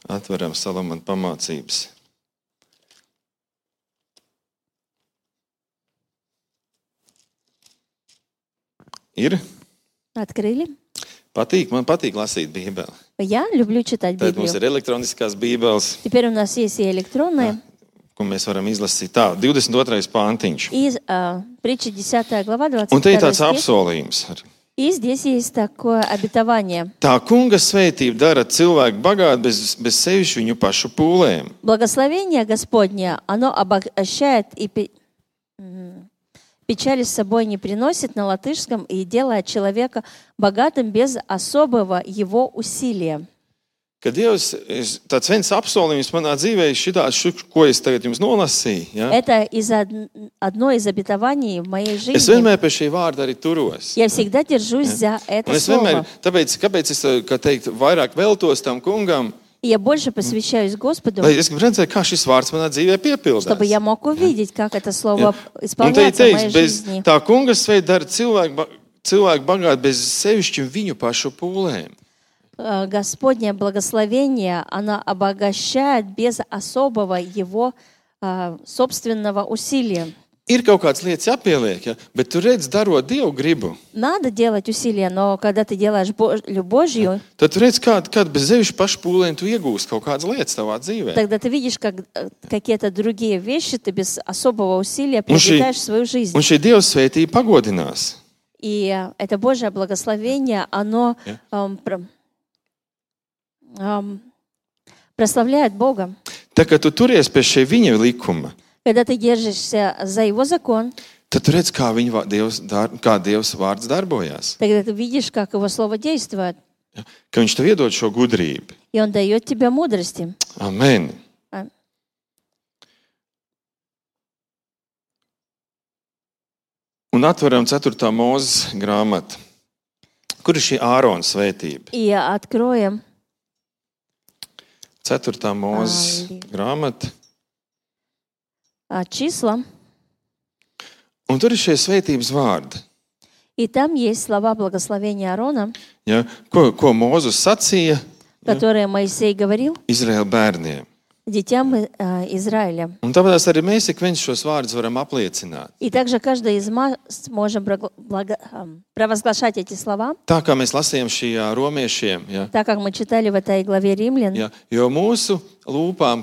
Atveram Salamana pamācības. Ir? Открыли? Patīk, man patīk lasīt Bībeli. Я люблю читать Tad mums Библию. ir elektroniskās Bībeles, Теперь у нас есть и электронные, ko mēs varam izlasīt. Tā, divdesmit otrais pāntiņš. и а, притча десятая глава, двадцать Un te ir второй tāds стих. apsolījums. arī. И здесь есть такое обетование. Tā kunga svētība dara cilvēku bagātu bez, bez sevišķi viņu pašu pūlēm. Благословение Господне, оно обогащает и пе- м, печали с собой не приносит на латышском и делает человека богатым без особого его усилия. Kad Dievs, es- tāds viens apsolījums manā dzīvē, šitāds, ko es tagad jums nolasīju, ja? Это из од- одно из обетований в моей Es жизни. vienmēr pie šī vārda arī turos. Я всегда держусь за Un это es vienmēr, слово. tāpēc, kāpēc es, kā teikt, vairāk veltos tam kungam, И я больше посвящаюсь Господу, lai es gribu redzēt, kā šis vārds manā dzīvē piepildās. чтобы я мог увидеть, как это Ja? слово Un te ir исполняется в моей teikts, bez жизни. tā kunga svētība dara cilvēku, ba- cilvēku bagātu bez sevišķi viņu pašu pūlēm. Э, Господнее благословение, оно обогащает без особого его а, собственного усилия. Ir kaut kādas lietas jāpieliek, ja? Bet tu redz, darot Dievu gribu, Надо делать усилия, но когда ты делаешь Бож- Божью, tad tu redz, kāda, kāda bez sevišķi pašu pūlēm tu iegūsi kaut kādas lietas tavā dzīvē. тогда ты видишь, как э, какие-то другие вещи ты без особого усилия Un šī, приобретаешь в свою жизнь. un šī Dieva svētība pagodinās. И э, это Божье благословение, оно Ja? эм, про- эм, прославляет Бога. Tā kā tu turies pie šī viņa likuma, Когда ты держишься за Его закон, tad tu redz, kā, viņa, vā- Dievs, dar, kā Dievs vārds darbojās. тогда ты видишь, как Его Слово действует. Ja? Ka viņš tev iedod šo gudrību. И Он дает тебе мудрости. Amen. А- Un atveram ceturtā mūzes grāmatu. Kur ir šī Ārona svētība? И откроем Ceturtā mūzes Āli. grāmata. а, числа, Un tur ir šie svētības vārdi. и там есть слова благословения Аарона, Ja? Ko, ko Mūzus sacīja которые Моисей говорил Izraēla bērniem. детям э, Израиля. Un tāpēc arī mēs ik viens šos vārdus varam apliecināt. И также каждый из нас можем прогла- благо- ам, провозглашать эти слова, Tā kā mēs lasījām šajā romiešiem. Ja? так как мы читали в этой главе Римлян. Ja? Jo mūsu lūpām,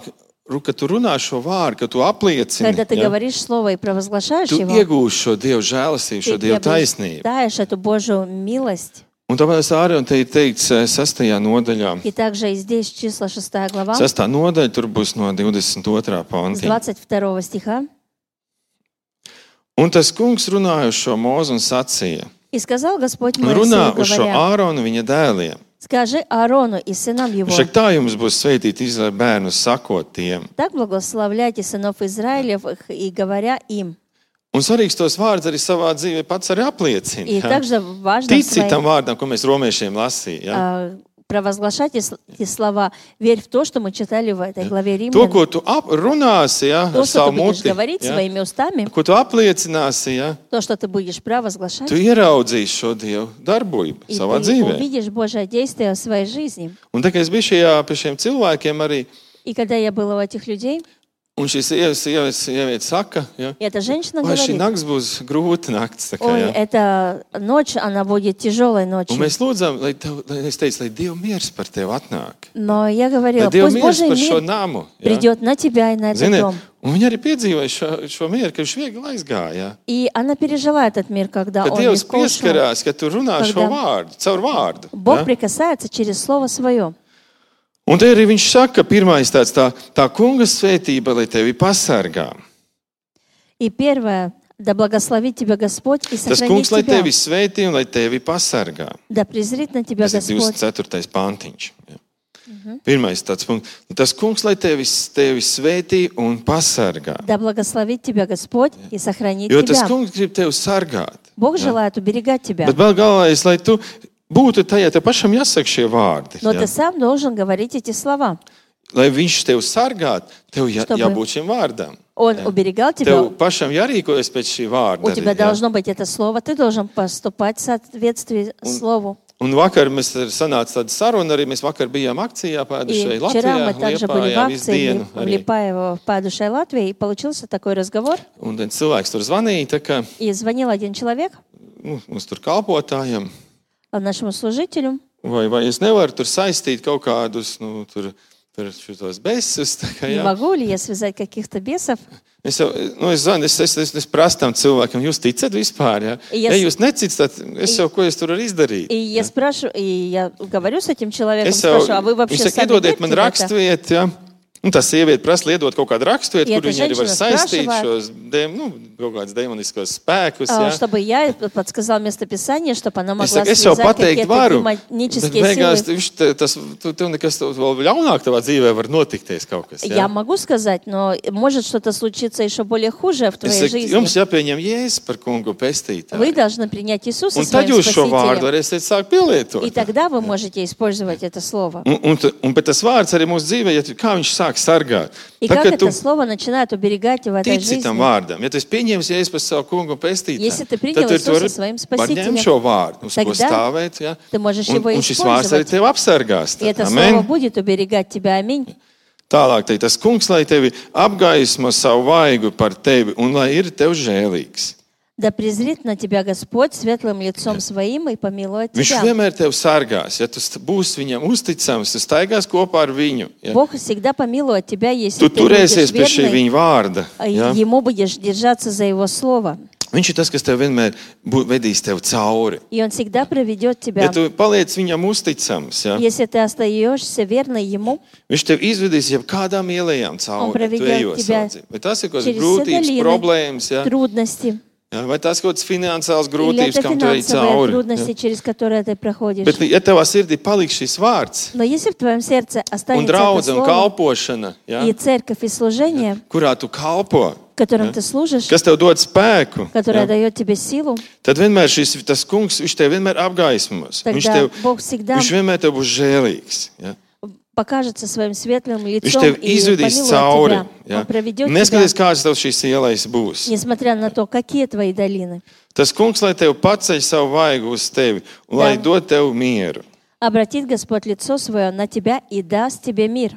kad tu runā šo vārdu, kad tu apliecini, Когда ты ja? говоришь слово и провозглашаешь tu его, iegūsi šo Dievu žēlastību, šo ты Dievu taisnību. приобретаешь эту Божью милость. Un tāpēc arī te ir teikts eh, sastajā nodaļā. И также и здесь числа шестая глава, Sastā nodaļa tur būs no divdesmit otrā с panta. двадцать второго стиха. Un tas kungs runāja uz šo mūzu un sacīja. «И сказал Господь Un runā Моисею, uz šo говоря, Āronu viņa dēliem. скажи Аарону и сынам его, Šak tā jums būs svētīti Izraēla bērnus, sakot tiem. так благословляйте сынов Израилевых и говоря им». Un svarīgs tos vārdus arī savā dzīvē pats arī apliecina. И ja? также важно Tici tam своим, vārdam, ko mēs romiešiem lasījām. Ja? а, провозглашать эти эти слова. Верь в то, что мы читали в этой главе To, Римлян. ko tu ap, runāsi ja? То, ar что savu ты будешь muti, говорить ja? своими устами, ko tu apliecināsi, ja? то, что ты будешь провозглашать, tu ieraudzīsi šo Dievu darbību и savā ты dzīvē. увидишь Божье действие в своей жизни. Un tā kā es biju šajā pie šiem cilvēkiem arī, И когда я была у этих людей, Un šī sieva, sieva, sieviete saka, ja, И эта женщина vai šī говорит, nakts būs grūta nakts. Tā kā, ой, ja. эта ночь, она будет tяжелой Un ночью. mēs lūdzām, lai, tev, lai es teicu, lai Dieva miers par tevi atnāk. Но я Lai говорила, Dieva пусть miers Божий par šo мир namu. Ja. придет на тебя и на этот Ziniet, дом. un viņi arī piedzīvoja šo, šo mieru, ka viņš viegli aizgāja. Ja. И она пережила этот мир, когда Kad он Dievs легко ушел. pieskarās, ka tu runā šo Когда vārdu, caur vārdu. Бог Ja. прикасается через Слово Свое. Un te arī viņš saka, pirmais tāds, tā, tā kunga svētība, lai tevi pasargā. И первое, да благословит тебя Господь и Tas сохранит kungs, lai тебя. tevi svētī un lai tevi pasargā. Да презрит на тебя Tas ir Господь. divdesmit ceturtais pantiņš. Ja. Pirmais tāds punkts. Tas kungs, lai tevi, tevi svētī un pasargā. Да благословит тебя Господь и сохранит Jo tas тебя. kungs grib tevi sargāt. Бог желает уберегать тебя. Bet vēl galvenais, lai tu būtu tajā, tev pašam jāsaka šie vārdi. Но Ja. ты сам должен говорить эти слова. Lai viņš tevi sargātu, tev jā, Чтобы jābūt šim vārdam. Он уберегал тебя. Tev pašam jārīkojas pēc šī vārda. У тебя arī, ja. должно быть это слово. Ты должен поступать в соответствии Слову. Un vakar mēs sanāca tāda saruna, arī mēs vakar bijām akcijā И pēdušai вчера Latvijā, мы также были в Liepājā visu акции dienu. в Arī. Липаево, в Падушей Латвии, и получился такой разговор. Un tad cilvēks tur zvanīja, tā kā И звонил один человек nu, mums tur kalpotājiem, нашему служителю. vai, vai es nevaru tur saistīt kaut kādus, nu, tur, tur šitos besus. Tā kā, Не jā. могу ли я связать каких-то бесов? Es jau, nu, es zvanu, es, es, es, es prasu tam cilvēkam, jūs ticat vispār, ja? Ja Ja es- jūs necitat, tad es jau, ko es tur varu izdarīt? И я спрашиваю, и я говорю с этим человеком, Es jau, спрашиваю, а вы вообще viņš saka, сами iedodiet верите man в это? raksturvietu, ja? Un tā sieviete prasa liedot kaut kādu raksturvietu, Ja kur ta viņi arī var ženšana saistīt spрашивает, šos, dem, nu, kaut kādus demoniskos spēkus, А, ja? Чтобы я подсказал местописание, чтобы она Es, могла saku, es jau связать pateikt какие-то varu, bet демонические beigās силы. viņš te- tas, tu, tev nekas tev vēl ļaunāk tavā dzīvē var notikties kaut kas. Я Ja? могу сказать, но может что-то случиться еще более хуже в Es твоей saku, жизни. jums jāpieņem Jēzus par kungu Вы pestītāju. должны принять Иисуса Un tad своим jūs šo vārdu Спасителем. varēsiet sākt pielietot. И тогда вы можете использовать это слово. Un, un, t- un bet tas vārds arī mūsu dzīvē, ja tu, kā viņš sāk sargāt. И Tā, как kad tu это слово начинает уберегать в этой tici tam жизни. vārdam, ja tu esi pieņēmis Jēzus par savu kungu pestītāju, Если ты принял tad tu Иисуса vari своим var Спасителем, ņemt šo vārdu, uz ko тогда stāvēt. Ja? ты можешь Un, его un šis vārds arī использовать. tevi apsargās. И это Amen. слово будет уберегать тебя. Аминь. Tālāk, teikt, tas kungs, lai tevi apgaismo savu vaigu par tevi un lai ir tev žēlīgs. Да презрит на тебя Господь светлым лицом своим и помилует Viņš тебя. vienmēr tevi sargās. Ja tu st- būsi viņam uzticams, tu staigās kopā ar viņu. Ja? Бог всегда помилует тебя, если Tu ты будешь turēsies pie šī верный, viņa vārda. а Ja? Ему будешь держаться за Его Слово. Viņš ir tas, kas tev vienmēr bū- vedīs tev cauri. И Он всегда проведет тебя. Ja tu paliec viņam uzticams, ja? Если ты остаешься верной Ему, Viņš tev izvedīs jau kādām ielējām Un cauri. pravedет Tu ejot тебя savā dzīvē. Vai tas ir kaut kādas через grūtības, все problēmas, ja? трудности, Ja? Vai tas ir kaut kādas finansiālas или grūtības, это kam tu ej финансовые cauri? трудности, Ja? через которые ты проходишь. Bet, ja tavā sirdī paliks šis vārds Но если в твоем сердце un останется это draudze un Слово, kalpošana, ja? и церковь, и служение, kurā tu kalpo, которым ты служишь, kas tev dod spēku, которое ja? дает тебе силу, tad vienmēr šis tas kungs, viņš tev vienmēr apgaismos. Viņš, тогда tev, Бог всегда viņš vienmēr tev būs žēlīgs. Ja? покажется своим светлым Viņš лицом tev и izvedīs помилует cauri. тебя. Ja? Он проведет Neskatoties, тебя, kāds tev šīs ielais būs. несмотря на то, какие твои долины. Tas kungs, lai tev paceļ savu vaigu uz tevi un lai Да. dod tev mieru. Обратит Господь лицо свое на тебя и даст тебе мир.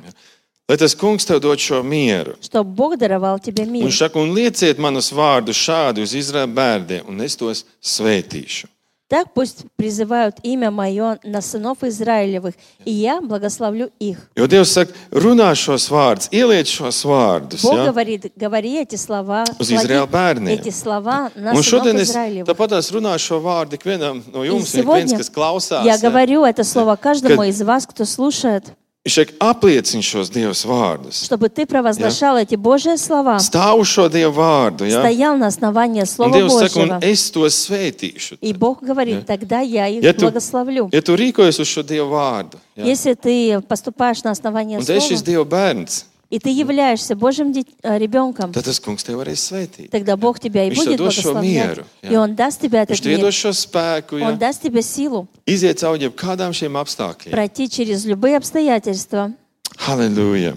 Lai tas kungs tev dod šo mieru. Чтобы Бог даровал тебе мир. Un saka, un lieciet manus vārdus šādi uz Izraēla bērniem, un es tos svētīšu. Так пусть призывают имя Мое на сынов Израилевых, и я благословлю их. Jo Dievs saka, runā šos vārdus, ieliec šos vārdus. Бог Ja? говорит, говори эти слова, Uz клади Izraēla bērniem. эти слова на Un сынов šodien es Израилевых. tāpat runāšu šo vārdu ikvienam no И jums, un ik viens, сегодня kas klausās. я Ja? говорю это слово каждому Kad- из вас, кто слушает, Viņš saka, apliecini šos Dievs vārdus. чтобы ты провозглашал эти Божьи слова, Stāv uz šo Dievu vārdu. Ja? стоял на основании Un Слова Dievs saka, un Божьего. es tos svētīšu. И Бог говорит, тогда я их Ja tu, благословлю. ja tu rīkojies uz šo Dievu vārdu, ja? Если ты поступаешь на основании un tu esi šis Слова, Dieva bērns, и ты являешься Божьим дит- э, ребенком, tad tas kungs tev varēs svētīt. тогда Бог тебя и Viņš будет tev dos šo благословлять. mieru, jā. И Он даст тебе Viņš этот tev iedos мир. šo spēku, ja? Он даст тебе силу Iziet cauri jebkādām šiem apstākļiem. пройти через любые обстоятельства. Halleluja!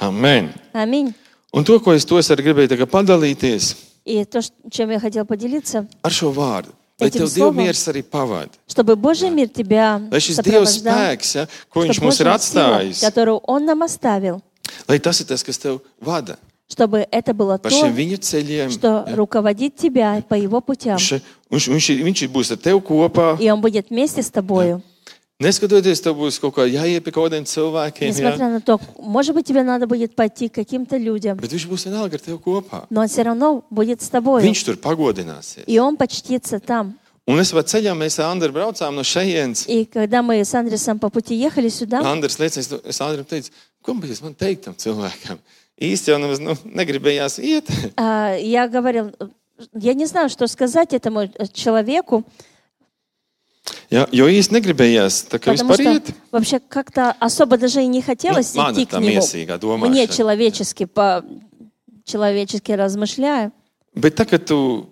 Amen! Аминь. Un to, ko es to es arī gribēju tagad padalīties И то, ш- чем я хотел поделиться, ar šo vārdu, lai Этим tev Dieva словом. miers arī pavada. чтобы Божий мир тебя Lai šis Dieva сопровождал, spēks, ja, ko viņš чтобы mums ir Божья сила, atstājis, которую Он нам оставил, lai tas ir tas, kas tev vada. чтобы это было pa то, šiem viņa ceļiem. что руководит тебя по его путям. Viņš, viņš, viņš, ir- viņš ir- būs ar tevi kopā. И он будет вместе с тобою. Neskatoties, tev būs kaut kā jāiet pie kaut kādiem cilvēkiem. Ja? Несмотря на то, может быть, тебе надо будет пойти к каким-то людям, Bet viņš būs vienalga ar tevi kopā. но он все равно будет с тобой. Viņš tur pagodināsies. И он почтится там. Un es savā ceļā mēs ar Andru braucām no šejienes. И когда мы с Андресом по пути ехали сюда, Andrs liecina, es Andram teicu, ko mēs man teikt tam cilvēkam? Īsti jau nemaz nu, negribējās iet. а, я говорил, я не знаю, что сказать этому человеку, Jā, jo īsti negribējās tā kā потому vispār что iet. вообще как-то особо даже и не хотелось Ну, идти mana к tā нему. miesīgā Мне domāšana. человечески, по человечески размышляя. Bet tā, kad tu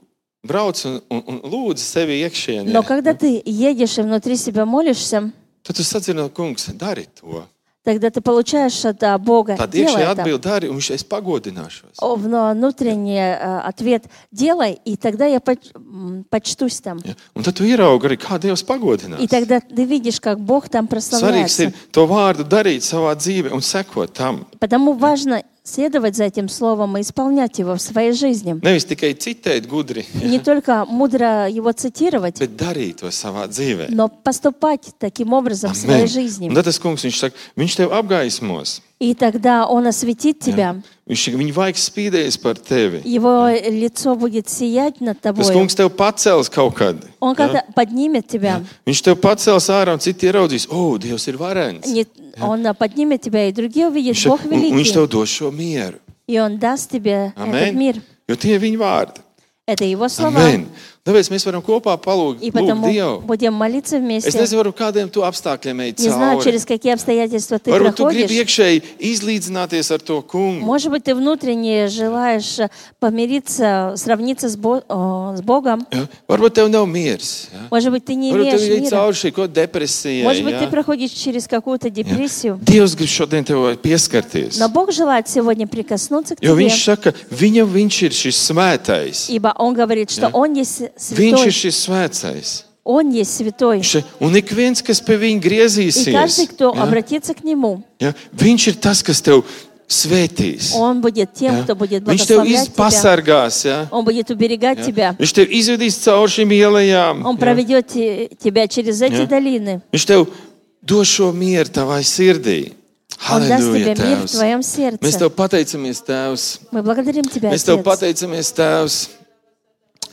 brauc un, un, un lūdzi sevi iekšienē, Но когда ты едешь и внутри себя молишься, tad tu sadzirdi, kungs, dari to. тогда ты получаешь от а, Бога, Tad делай iekšēji это. atbild dari, un viņš es pagodināšos. О, вно- Внутренний э, ответ делай, и тогда я поч- м, почтусь там. Ja? Un tad tu ieraugi arī, kā Dievs И pagodinās. тогда ты видишь, как Бог там Svarīgs прославляется. ir to vārdu darīt savā dzīvē un sekot tam. Потому важно следовать за этим словом и исполнять его в своей жизни. Nevis tikai citēt gudri, Не только mудро его цитировать, bet darīt to savā dzīvē. но поступать таким образом в своей Amen. жизни. Un tad tas kungs, viņš saka, viņš tev apgaismos. И тогда Он осветит тебя. Viņš, viņa vaigs spīdēs par tevi. Его лицо будет сиять над Tas тобой. kungs tev pacels kaut kad. Он когда поднимет тебя, Viņš tev pacels ārā un citi ieraudzīs, o, Dievs ir varens. не- Он поднимет тебя, и другие увидят, Viņš, Бог un, un viņš великий. tev dos šo mieru. И Он даст тебе этот Amen. мир. Jo tie ir viņa vārdi. Это Его слова. Amen. Tāpēc mēs varam kopā palūgt И lūgt потому Dievu. будем молиться Es вместе. nezinu, kādiem tu apstākļiem ej Не знаю, cauri. через какие обстоятельства ты Varbūt tu gribi проходишь. iekšēji izlīdzināties ar to kungu. Может быть, ты внутренне желаешь помириться, сравниться с, Бо- о, с Богом. Ja? Varbūt tev nav miers. Ja? Может быть, ты не Varbūt tev имеешь ir мира. cauri šī kaut depresija. Может быть, ты Ja? проходишь через какую-то депрессию. Dievs grib šodien tev pieskarties. Но Бог желает сегодня прикоснуться к Jo тебе, viņš saka, viņam viņš ir šis svētais. ибо Он говорит, что Ja. Он есть Viņš ir святой. šis svētais. Он есть святой. Še- Un ik viens, kas pie viņa И каждый, griezīsies, кто ja? обратится к Нему, Ja? Viņš ir tas, kas tev svētīs. Он будет тем, Ja? кто будет Viņš tev благословлять тебя. pasargās. Ja? Он будет уберегать Ja? тебя. Viņš tev izvedīs cauri šīm ielām. Он Ja? проведет те- тебя через эти Ja? долины. Viņš tev dos šo mieru tavai sirdī. Он даст Halleluja, тебе мир в Tēvs. твоем Mēs сердце. tev pateicamies, Tēvs. Мы благодарим Тебя, Mēs tev Отец, pateicamies, Tēvs,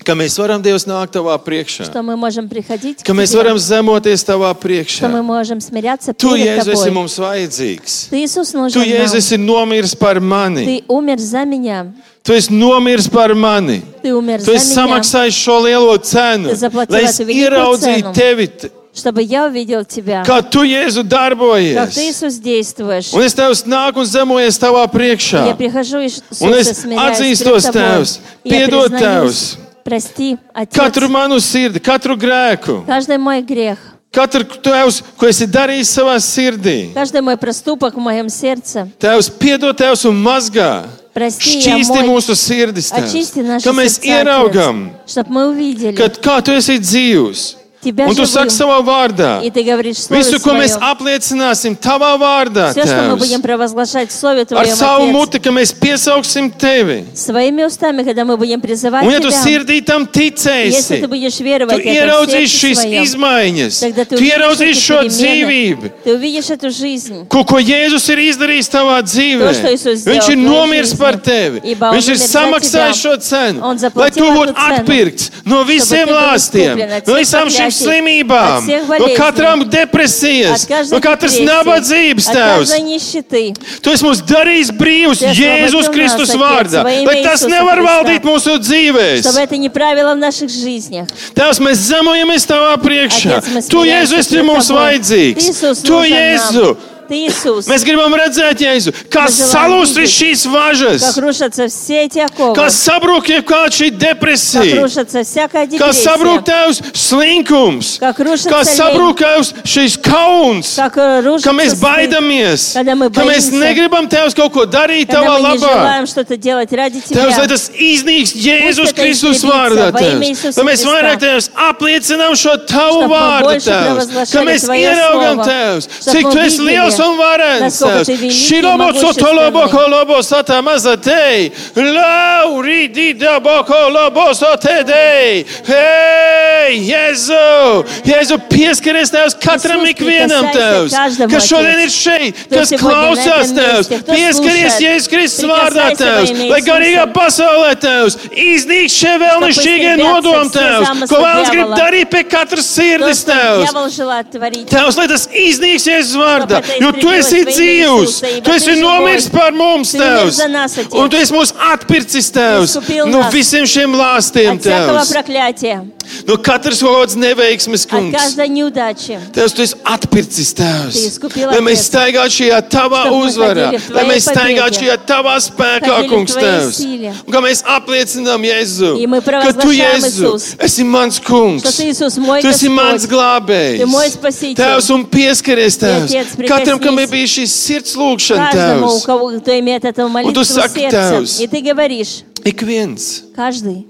ka mēs varam Dievs nākt tavā priekšā. что мы можем приходить к Ka mēs Тебе, varam zemoties tavā что мы priekšā. можем смиряться Tu, перед Jēzus, esi Тобой. mums vajadzīgs. Ты, Иисус, Tu, нужен Jēzus, нам. esi nomiris par mani. Ты умер за меня. Tu esi nomiris par mani. Ты умер Tu за esi меня, samaksājis šo lielo cenu, Tu zaplatīji lai es tu великую ieraudzītu cenu. tevi, чтобы я увидел Тебя, kā tu, Jēzu, как darbojies. Ты, Иисус, действуешь. Un es Tevs nāku un zemojies tavā priekšā. Я прихожу, Иисус, Un es и смиряюсь atzīstos, перед Тобой. Tēvs, И я piedod, признаюсь, Tēvs, прости, Отец, katru manu sirdi, katru grēku, каждый мой грех, katru Tēvs, ko esi darījis savā sirdī. каждый мой проступок в моем сердце. Tēvs, piedod, Tēvs, un mazgā. Прости, я Šķīsti мой, mūsu sirdis, очисти Tēvs. наши Ka mēs сердца, ieraugam, Отец, чтобы мы увидели ka kā tu esi dzīvs. Тебя Un tu saki живым. savā vārdā. И Ты говоришь в Слове Visu, ko mēs Своем. apliecināsim tavā vārdā, Все, что мы Tēvs. будем провозглашать в Слове Ar Твоем, savu Отец, muti, ka mēs piesauksim tevi. своими устами, когда мы будем призывать Un ja tu Тебя, sirdī tam если ticēsi, Ты будешь tu веровать это в ieraudzīsi сердце šīs своем, izmaiņas, тогда Ты tu увидишь ieraudzīsi эти šo перемены, dzīvību, Ты увидишь эту жизнь. ko, ko Jēzus ir izdarījis tavā dzīvē. To, что Иисус сделал Viņš ir в твоей nomiris жизни. par tevi. Ибо Он Viņš ir умер за samaksājis тебя. šo cenu, Он lai заплатил tu būtu эту цену, atpirkts no visiem ты был lāstiem, искуплен от no всех visām šīm проклятий, slimībām, от всех no болезней, katram depresijas, от каждой no katras депрессии, nabadzības, от Tēvs. каждой нищеты. Tu esi mūs darījis brīvus Ты Jēzus освободил Kristus нас, vārdā, Отец, во имя lai tas Иисуса nevar Христа. valdīt mūsu dzīvēs. Чтобы это не правило в наших жизнях. Tēvs, mēs zemojamies tavā priekšā. Отец, мы Tu, смиряемся Jēzu, esi перед mums Тобой. vajadzīgs. Ты, Иисус, Tu, нужен Jēzu, нам. Ты, Иисус, mēs gribam redzēt, Jēzu, kā Мы желаем salūst видеть, šīs važas, как рушатся все эти оковы, kā sabrūk jebkāda šī как depresija, рушится всякая kā sabrūk депрессия, tevs slinkums, как рушится kā лень, sabrūk tevs šīs kauns, как рушится ka mēs стыд, baidamies, когда мы ka mēs боимся, negribam tevs kaut ko darīt когда tavā мы не labā. желаем что-то делать ради Tevs, lai Тебя. tas iznīks Jēzus это Kristus изгорится vārdā, во имя Tevs. Иисуса Lai mēs Христа. vairāk, Tevs, apliecinām šo Tavu Чтоб мы vārdu, больше Tevs. Ka провозглашали mēs Твое ieraugam, Слово, Tevs, чтоб cik мы Tu esi видели, liels liels un varens, насколько Tevs. Ты великий, Šilobo sotolobo могущественный. kolobo satamazatei. Lauri didabo kolobo sotedei. Hei, Jēzu! Jēzu, pieskaries Tevs katram Иисус, ikvienam, прикасайся Tevs. каждому, Kas šodien ir Отец, šeit, кто kas сегодня на klausās, этом Tevs. месте, кто Pieskaries слушает. Jēzus Kristus vārdā, Прикасайся во Tevs. имя Lai garīgā Иисуса. pasaulē, Tevs. Iznīk šie vēlnišķīgie истребятся nodomi, все Tevs. замыслы Ko vēlas grib дьявола. darīt pie katras То, sirdis, что Tevs. дьявол желает творить. Tevs, lai tas iznīks Jēzus vārdā, Tāpēc jo Tu esi izturēs dzīvs, Jēzus, ej, Tu bet esi viņš ir nomiris Bojs. par mums, Tu umir Tevs, za нас, Отец. un Tu esi mūs atpircis, Tevs, Искупил no нас. visiem šiem lāstiem, От всякого Tevs, проклятия, no katras kaut kādas neveiksmes, от kungs. каждой неудачи. Tevs, Tu esi atpircis, Tu Tevs, искупил, lai mēs Отец. staigātu šajā Tavā Чтоб мы uzvarā, ходили в lai Твоей mēs staigātu победе. šajā Tavā spēkā, Ходили в kungs, Твоей Tevs, силе. un kā mēs apliecinām Jēzu, И мы ka Tu, провозглашаем, Jēzu, Иисус, esi mans kungs, что Ты, Иисус, мой Tu esi mans Господь. glābējs. Ты мой Спаситель. Tēvs, un pieskaries, Tēvs. Отец, Katram, kam ir прикоснись bijis šīs sirds lūgšana, Каждому, у Tēvs. кого, кто имеет эту молитву в сак, сердце. Tevs. И Ты говоришь, Ik viens, каждый,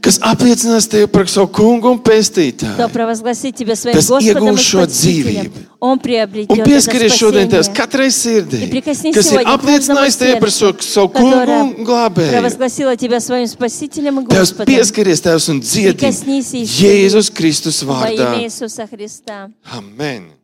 kas apliecinās Tevi par savu kungu un кто pestītāju. провозгласит Тебя своим Tas Господом и iegūs šo Спасителем, dzīvību. он Un приобретет это pieskaries šodien Tevs спасение. katrai sirdī, И прикоснись kas ir сегодня к каждому apliecinājis Tevi par savu, сердцу, savu kungu которое un glābēju. провозгласила Тебя своим Спасителем и Tevs, Господом. pieskaries Tevs un dziedi Прикоснись, Иисус, Jēzus Kristus во vārdā. имя Иисуса Христа. Amen.